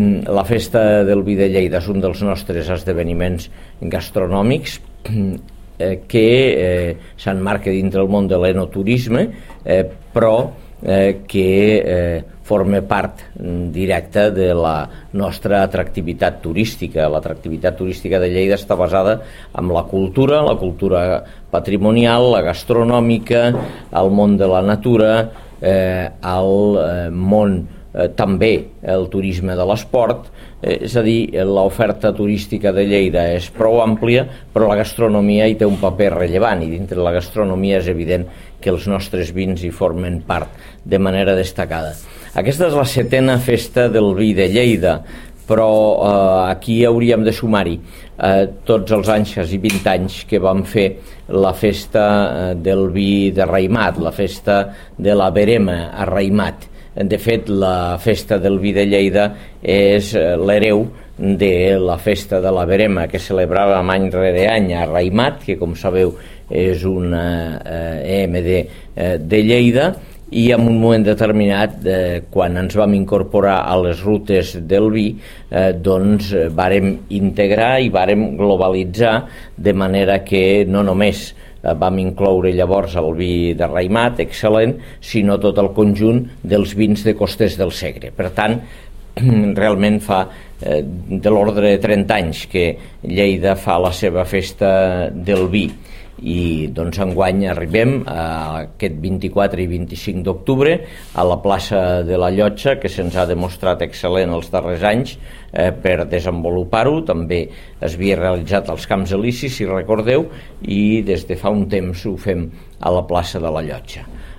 La Festa del Vi de Lleida és un dels nostres esdeveniments gastronòmics que s'emmarca dintre el món de l'enoturisme, però que forma part directa de la nostra atractivitat turística. L'atractivitat turística de Lleida està basada en la cultura patrimonial, la gastronòmica, el món de la natura, el món també el turisme de l'esport, és a dir, l'oferta turística de Lleida és prou àmplia, però la gastronomia hi té un paper rellevant, i dintre la gastronomia és evident que els nostres vins hi formen part de manera destacada. Aquesta és la 7a Festa del Vi de Lleida, però aquí hauríem de sumar-hi tots els anys, quasi 20 anys, que vam fer la Festa del Vi de Raïmat, la Festa de la Verema a Raïmat. De fet, la Festa del Vi de Lleida és l'hereu de la Festa de la Verema, que celebràvem any rere any a Raïmat, que com sabeu és una EMD de Lleida, i en un moment determinat, quan ens vam incorporar a les rutes del vi, doncs vàrem integrar i vàrem globalitzar, de manera que no només vam incloure llavors el vi de Raïmat, excel·lent, sinó tot el conjunt dels vins de Costers del Segre. Per tant, realment fa de l'ordre de 30 anys que Lleida fa la seva festa del vi, i doncs enguany arribem a aquest 24 i 25 d'octubre a la plaça de la Llotja, que se'ns ha demostrat excel·lent els darrers anys per desenvolupar-ho. També es havia realitzat als Camps Elisis, si recordeu, i des de fa un temps ho fem a la plaça de la Llotja.